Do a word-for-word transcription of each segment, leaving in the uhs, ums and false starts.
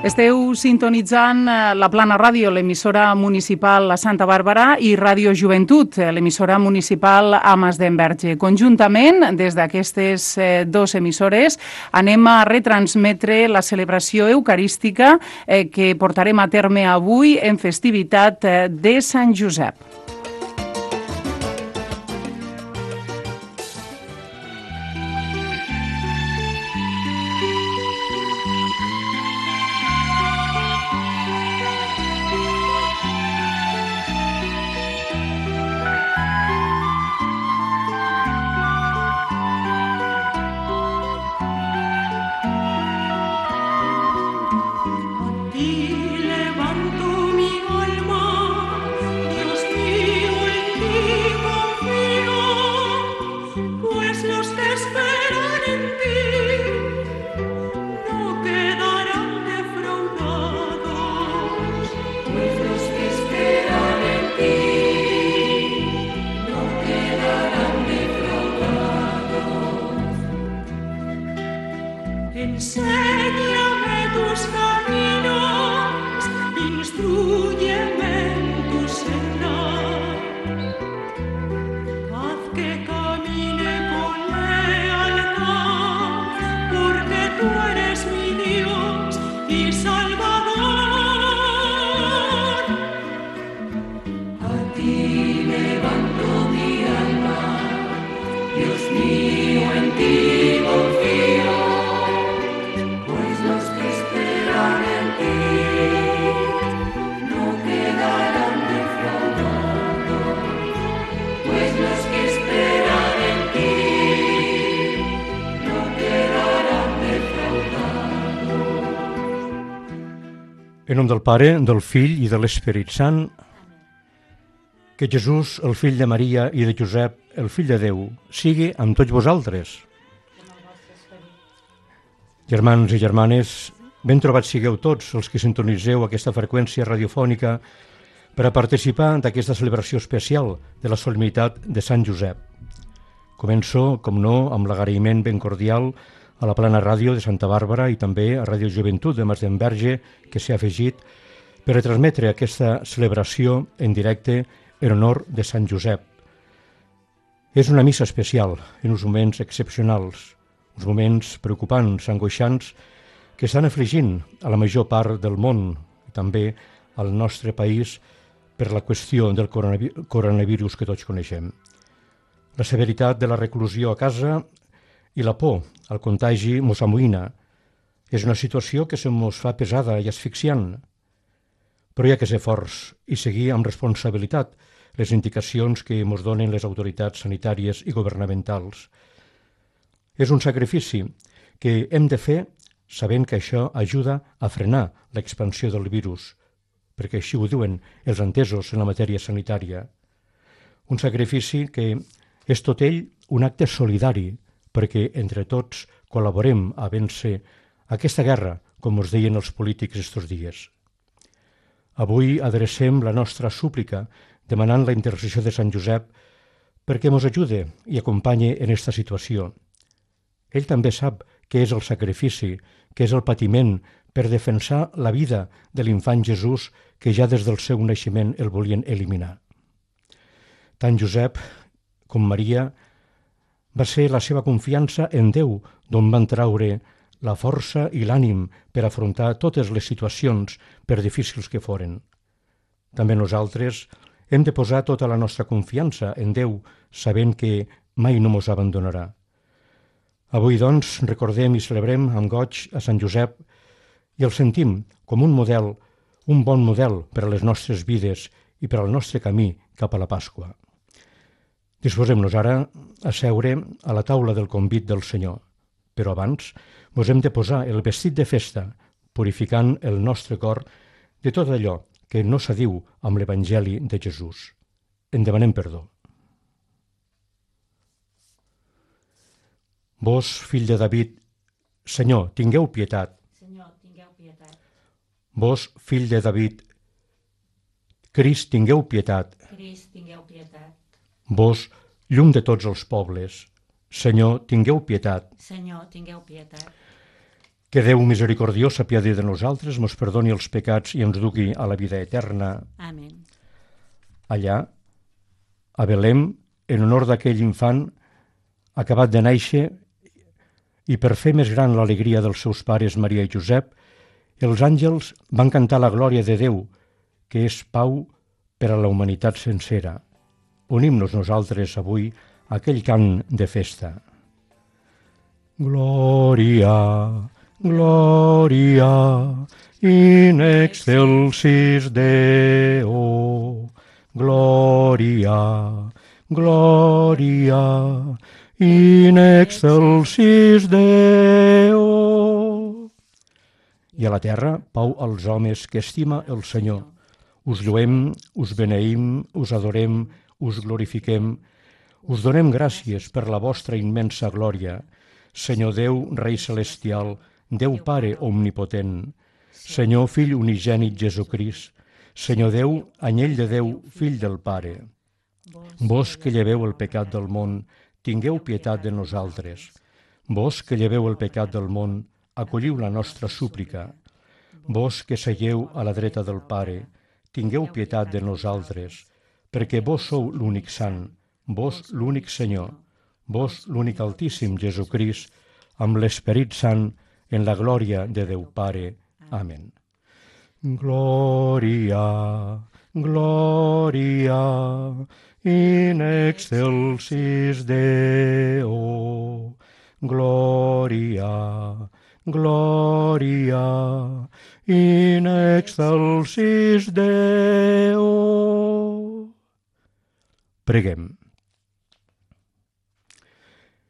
Esteu sintonitzant la Plana Ràdio, l'emissora municipal a Santa Bàrbara, i Ràdio Joventut, l'emissora municipal a Masdenverge. Conjuntament, des d'aquestes dues emissores, anem a retransmetre la celebració eucarística eh, que portarem a terme avui en festivitat de Sant Josep. En nom del Pare, del Fill i de l'Esperit Sant, que Jesús, el fill de Maria i de Josep, el fill de Déu, sigui amb tots vosaltres. Germans i germanes, ben trobats sigueu tots els que sintonizeu aquesta freqüència radiofònica per a participar d'aquesta celebració especial de la solemnitat de Sant Josep. Començo, com no, amb l'agraïment ben cordial a la Plana Ràdio de Santa Bàrbara i també a Ràdio Joventut de Masdenverge, que s'ha afegit per retransmetre aquesta celebració en directe en honor de Sant Josep. És una missa especial, en uns moments excepcionals, uns moments preocupants, angoixants, que estan afligint a la major part del món i també al nostre país per la qüestió del coronavirus que tots coneixem. La severitat de la reclusió a casa i la por al contagi mos amoïna. És una situació que se mos fa pesada i asfixiant, però hi ha que ser forts i seguir amb responsabilitat les indicacions que mos donen les autoritats sanitàries i governamentals. És un sacrifici que hem de fer sabent que això ajuda a frenar l'expansió del virus, perquè així ho diuen els entesos en la matèria sanitària. Un sacrifici que és tot ell un acte solidari, perquè entre tots col·laborem a vèncer aquesta guerra, com us deien els polítics estos dies. Avui adrecem la nostra súplica demanant la intercessió de Sant Josep perquè ens ajude i acompanye en aquesta situació. Ell també sap què és el sacrifici, què és el patiment per defensar la vida de l'infant Jesús que ja des del seu naixement el volien eliminar. Tant Josep com Maria va ser la seva confiança en Déu, d'on van traure la força i l'ànim per afrontar totes les situacions, per difícils que foren. També nosaltres hem de posar tota la nostra confiança en Déu, sabent que mai no mos abandonarà. Avui, doncs, recordem i celebrem amb goig a Sant Josep i el sentim com un model, un bon model per a les nostres vides i per al nostre camí cap a la Pasqua. Disposem-nos ara a seure a la taula del convit del Senyor, però abans mos hem de posar el vestit de festa, purificant el nostre cor de tot allò que no s'adiu amb l'Evangeli de Jesús. En demanem perdó. Vos, fill de David, Senyor, tingueu pietat. Senyor, tingueu pietat. Vos, fill de David, Crist, tingueu pietat. Crist, tingueu pietat. Vos, llum de tots els pobles, Senyor, tingueu pietat. Senyor, tingueu pietat. Que Déu misericordiós s'apiadi de nosaltres, mos perdoni els pecats i ens dugui a la vida eterna. Amén. Allà, a Belém, en honor d'aquell infant acabat de néixer, i per fer més gran l'alegria dels seus pares Maria i Josep, els àngels van cantar la glòria de Déu, que és pau per a la humanitat sencera. Unim-nos nosaltres avui a aquell cant de festa. Glòria, glòria, in excelsis Deo. Glòria, glòria, in excelsis Deo. I a la terra, pau als homes que estima el Senyor. Us lluem, us beneïm, us adorem, us glorifiquem, us donem gràcies per la vostra immensa glòria. Senyor Déu, Rei Celestial, Déu Pare Omnipotent, Senyor Fill Unigènit Jesucrist, Senyor Déu, Anyell de Déu, Fill del Pare. Vos que lleveu el pecat del món, tingueu pietat de nosaltres. Vos que lleveu el pecat del món, acolliu la nostra súplica. Vos que seieu a la dreta del Pare, tingueu pietat de nosaltres, perquè vos sou l'únic sant, vos l'únic Senyor, vos l'únic Altíssim Jesucrist, amb l'Esperit Sant, en la glòria de Déu Pare. Amén. Glòria, glòria, in excelsis Deo. Glòria, glòria, in excelsis Deo. Preguem.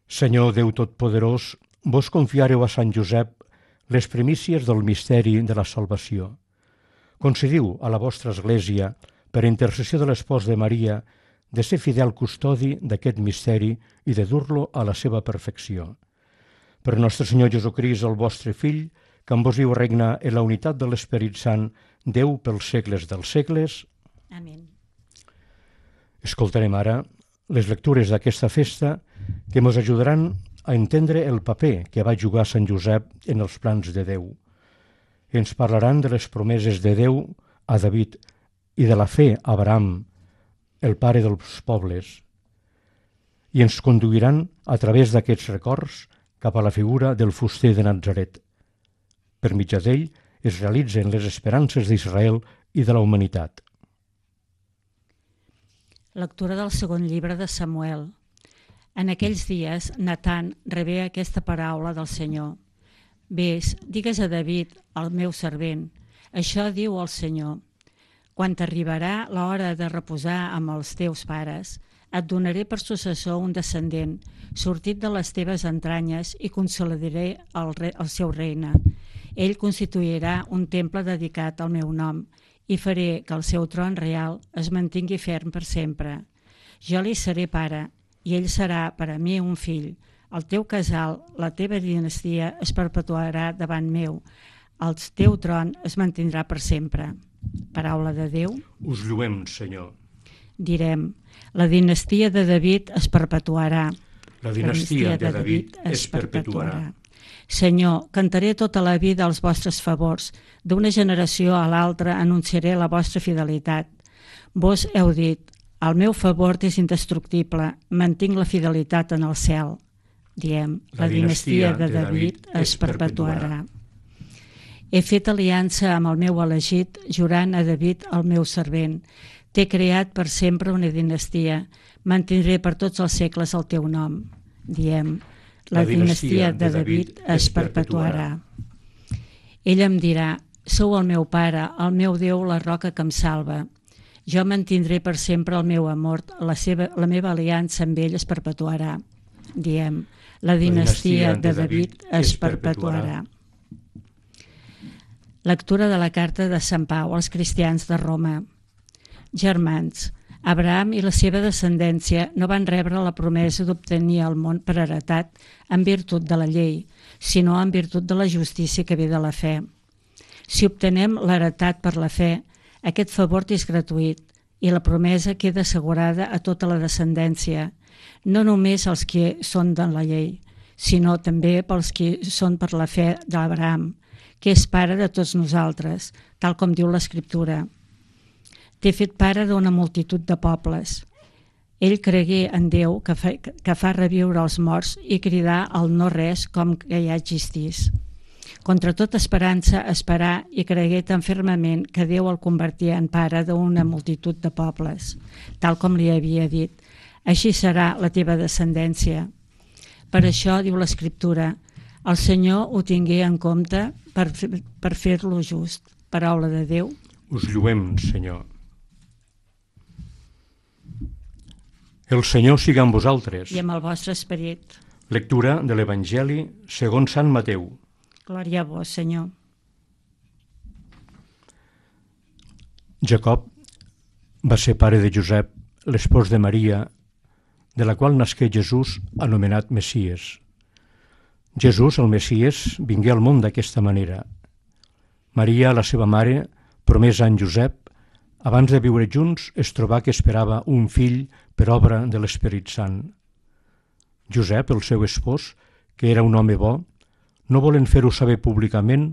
Senyor Déu Totpoderós, vos confiareu a Sant Josep les primícies del misteri de la salvació. Concediu a la vostra Església, per intercessió de l'espòs de Maria, de ser fidel custodi d'aquest misteri i de dur-lo a la seva perfecció. Per nostre Senyor Jesucrist, el vostre Fill, que amb vos viu regna en la unitat de l'Esperit Sant, Déu pels segles dels segles. Amén. Escoltarem ara les lectures d'aquesta festa que ens ajudaran a entendre el paper que va jugar Sant Josep en els plans de Déu. Ens parlaran de les promeses de Déu a David i de la fe a Abraham, el pare dels pobles, i ens conduiran a través d'aquests records cap a la figura del fuster de Natzaret. Per mitjà d'ell es realitzen les esperances d'Israel i de la humanitat. Lectura del segon llibre de Samuel. En aquells dies, Natan rebé aquesta paraula del Senyor. Ves, digues a David, el meu servent, això diu el Senyor. Quan t'arribarà l'hora de reposar amb els teus pares, et donaré per successor un descendent, sortit de les teves entranyes, i consolidaré el, re, el seu regne. Ell constituirà un temple dedicat al meu nom, i faré que el seu tron real es mantingui ferm per sempre. Jo li seré pare, i ell serà per a mi un fill. El teu casal, la teva dinastia, es perpetuarà davant meu. El teu tron es mantindrà per sempre. Paraula de Déu. Us lluem, Senyor. Direm, la dinastia de David es perpetuarà. La dinastia de David es perpetuarà. Senyor, cantaré tota la vida els vostres favors. D'una generació a l'altra anunciaré la vostra fidelitat. Vos heu dit, el meu favor és indestructible, mantinc la fidelitat en el cel. Diem, la dinastia de David es perpetuarà. He fet aliança amb el meu elegit, jurant a David, el meu servent. T'he creat per sempre una dinastia. Mantindré per tots els segles el teu nom. Diem, la dinastia de David es perpetuarà. Ell em dirà, sou el meu pare, el meu Déu, la roca que em salva. Jo mantindré per sempre el meu amor, la, seva, la meva aliança amb ell es perpetuarà. Diem, la dinastia de David es perpetuarà. Lectura de la carta de Sant Pau als cristians de Roma. Germans, Abraham i la seva descendència no van rebre la promesa d'obtenir el món per heretat en virtut de la llei, sinó en virtut de la justícia que ve de la fe. Si obtenem l'heretat per la fe, aquest favor és gratuït i la promesa queda assegurada a tota la descendència, no només als que són de la llei, sinó també pels qui són per la fe d'Abraham, que és pare de tots nosaltres, tal com diu l'Escriptura. T'he fet pare d'una multitud de pobles. Ell cregué en Déu que fa, que fa reviure els morts i cridar al no res com que ja existís. Contra tota esperança esperar i cregué tan fermament que Déu el convertia en pare d'una multitud de pobles, tal com li havia dit. Així serà la teva descendència. Per això, diu l'Escriptura, el Senyor ho tingué en compte per, per fer-lo just. Paraula de Déu. Us lluem, Senyor. El Senyor siga amb vosaltres. I amb el vostre esperit. Lectura de l'Evangeli segons Sant Mateu. Glòria a vos, Senyor. Jacob va ser pare de Josep, l'espòs de Maria, de la qual nasqué Jesús, anomenat Messies. Jesús, el Messies, vingué al món d'aquesta manera. Maria, la seva mare, promesa en Josep, abans de viure junts, es trobà que esperava un fill per obra de l'Esperit Sant. Josep, el seu espòs, que era un home bo, no volent fer-ho saber públicament,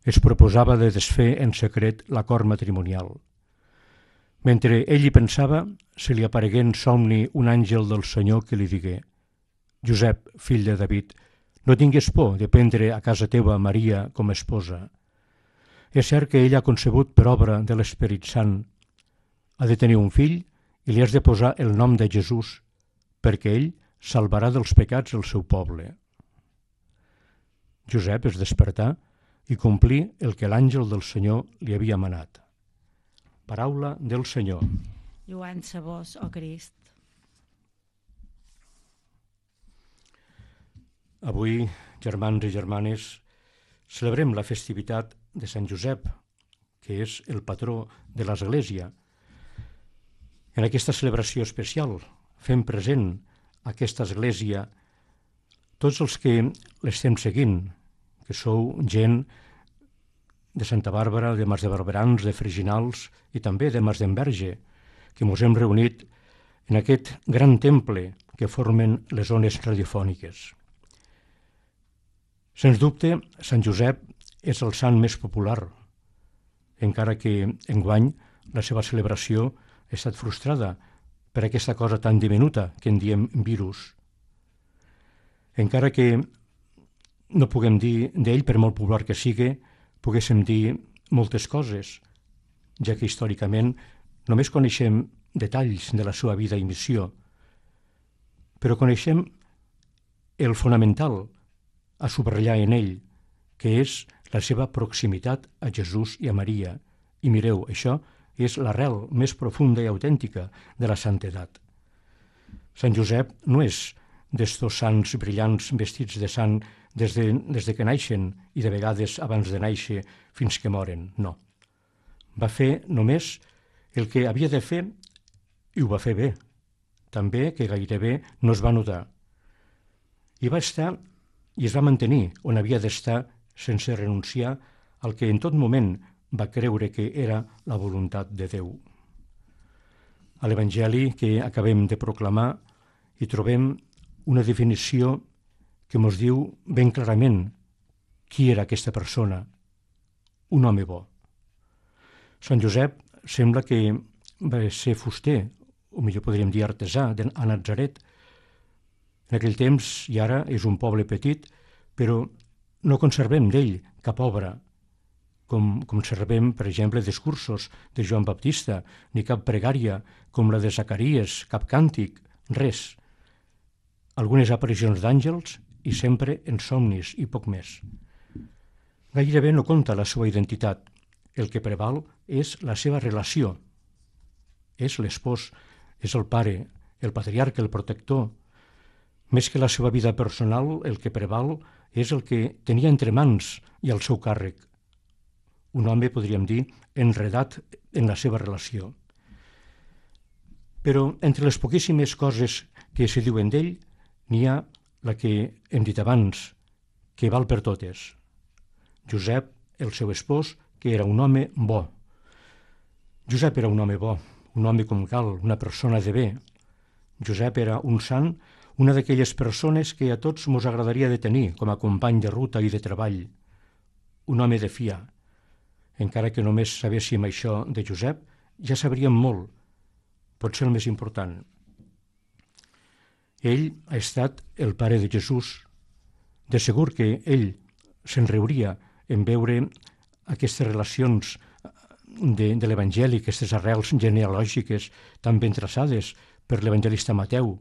es proposava de desfer en secret l'acord matrimonial. Mentre ell hi pensava, se li aparegué en somni un àngel del Senyor que li digué: Josep, fill de David, no tingues por de prendre a casa teva Maria com a esposa. És cert que ella ha concebut per obra de l'Esperit Sant. Ha de tenir un fill i li has de posar el nom de Jesús, perquè ell salvarà dels pecats el seu poble. Josep es despertà i complí el que l'àngel del Senyor li havia manat. Paraula del Senyor. Lluança a vos, ó Crist. Avui, germans i germanes, celebrem la festivitat de Sant Josep, que és el patró de l'Església. En aquesta celebració especial fem present aquesta Església tots els que l'estem seguint, que sou gent de Santa Bàrbara, de Mas de Barberans, de Freginals i també de Mas d'Enverge, que ens hem reunit en aquest gran temple que formen les ones radiofòniques. Sens dubte, Sant Josep és el sant més popular, encara que enguany la seva celebració ha estat frustrada per aquesta cosa tan diminuta que en diem virus. Encara que no puguem dir d'ell, per molt popular que sigui, poguéssim dir moltes coses, ja que històricament només coneixem detalls de la seva vida i missió, però coneixem el fonamental a subratllar en ell, que és la seva proximitat a Jesús i a Maria. I mireu, això és l'arrel més profunda i autèntica de la santedat. Sant Josep no és d'estos sants brillants vestits de sant des de, des de que naixen i de vegades abans de néixer fins que moren, no. Va fer només el que havia de fer i ho va fer bé, també que gairebé no es va notar. I va estar i es va mantenir on havia d'estar sense renunciar al que en tot moment va creure que era la voluntat de Déu. A l'Evangeli que acabem de proclamar hi trobem una definició que ens diu ben clarament qui era aquesta persona, un home bo. Sant Josep sembla que va ser fuster, o millor podríem dir artesà, a Natzaret. En aquell temps i ara és un poble petit, però no conservem d'ell cap obra, com conservem, per exemple, discursos de Joan Baptista, ni cap pregària com la de Zacaries, cap càntic, res. Algunes aparicions d'àngels i sempre en somnis i poc més. Gairebé no compta la seva identitat. El que preval és la seva relació. És l'espòs, és el pare, el patriarca, el protector. Més que la seva vida personal, el que preval és el que tenia entre mans i al seu càrrec. Un home, podríem dir, enredat en la seva relació. Però entre les poquíssimes coses que se diuen d'ell, n'hi ha la que hem dit abans, que val per totes. Josep, el seu espòs, que era un home bo. Josep era un home bo, un home com cal, una persona de bé. Josep era un sant, una d'aquelles persones que a tots mos agradaria de tenir com a company de ruta i de treball, un home de fiar. Encara que només sabéssim això de Josep, ja sabríem molt, potser el més important. Ell ha estat el pare de Jesús. De segur que ell se'n riuria en veure aquestes relacions de, de l'Evangeli, aquestes arrels genealògiques tan ben traçades per l'evangelista Mateu,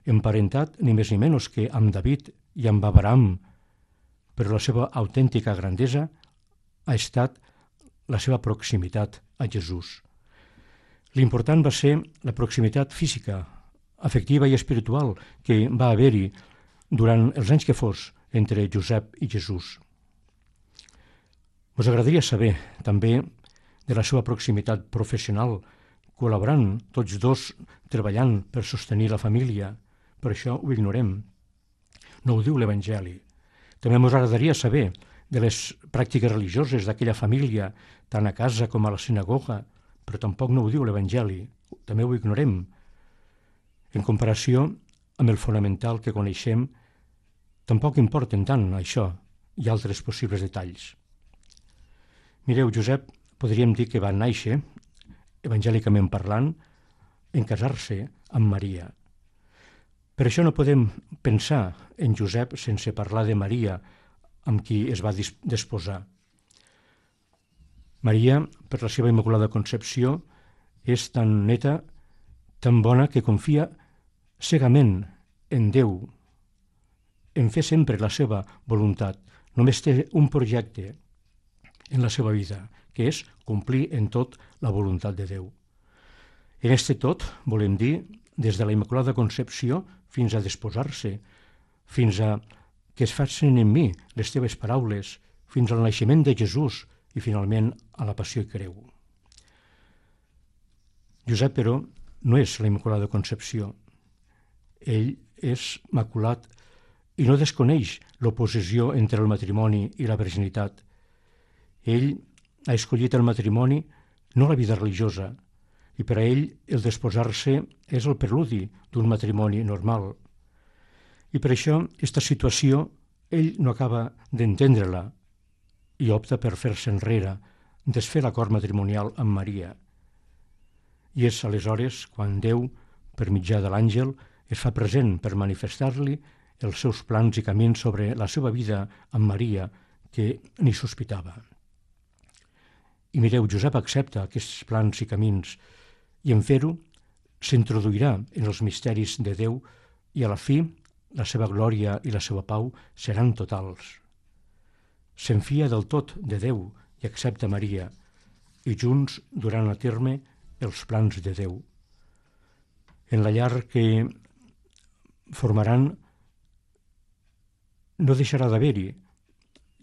emparentat ni més ni menys que amb David i amb Abraham, però la seva autèntica grandesa ha estat la seva proximitat a Jesús. L'important va ser la proximitat física, afectiva i espiritual que va haver-hi durant els anys que fos entre Josep i Jesús. Us agradaria saber també de la seva proximitat professional, col·laborant tots dos treballant per sostenir la família. Per això ho ignorem. No ho diu l'Evangeli. També ens agradaria saber de les pràctiques religioses d'aquella família, tant a casa com a la sinagoga, però tampoc no ho diu l'Evangeli. També ho ignorem. En comparació amb el fonamental que coneixem, tampoc importen tant això i altres possibles detalls. Mireu, Josep, podríem dir que va néixer, evangèlicament parlant, en casar-se amb Maria. Per això no podem pensar en Josep sense parlar de Maria, amb qui es va desposar. Maria, per la seva Immaculada Concepció, és tan neta, tan bona, que confia cegament en Déu, en fer sempre la seva voluntat. Només té un projecte en la seva vida, que és complir en tot la voluntat de Déu. En este tot, volem dir, des de la Immaculada Concepció fins a desposar-se, fins a que es facin en mi les teves paraules, fins al naixement de Jesús i finalment a la passió i creu. Josep, però, no és la Immaculada Concepció. Ell és maculat i no desconeix l'oposició entre el matrimoni i la virginitat. Ell ha escollit el matrimoni, no la vida religiosa, i per a ell el desposar-se és el preludi d'un matrimoni normal. I per això, aquesta situació, ell no acaba d'entendre-la i opta per fer-se enrere, desfer l'acord matrimonial amb Maria. I és aleshores quan Déu, per mitjà de l'àngel, es fa present per manifestar-li els seus plans i camins sobre la seva vida amb Maria, que ni sospitava. I mireu, Josep accepta aquests plans i camins i en fer-ho s'introduirà en els misteris de Déu i a la fi la seva glòria i la seva pau seran totals. S'enfia del tot de Déu i accepta Maria i junts duran a terme els plans de Déu. En la llar que formaran no deixarà d'haver-hi,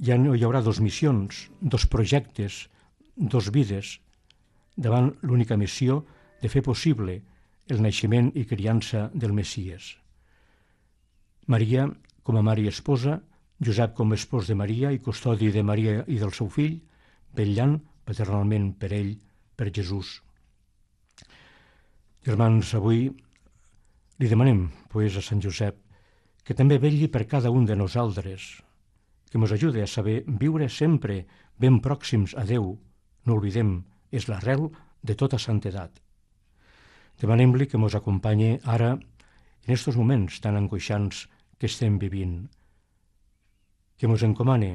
ja no hi haurà dos missions, dos projectes, dos vides, davant l'única missió de fer possible el naixement i criança del Messies. Maria com a mare i esposa, Josep com a espòs de Maria i custodi de Maria i del seu fill, vetllant paternalment per ell, per Jesús. Germans, avui li demanem, pues, a Sant Josep, que també vetlli per cada un de nosaltres, que ens ajude a saber viure sempre ben pròxims a Déu. No oblidem, és l'arrel de tota santedat. Demanem-li que ens acompanyi ara en aquests moments tan angoixants que estem vivint, que ens encomane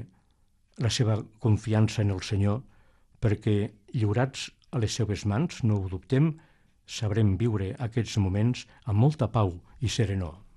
la seva confiança en el Senyor, perquè lliurats a les seves mans, no ho dubtem, sabrem viure aquests moments amb molta pau i serenor.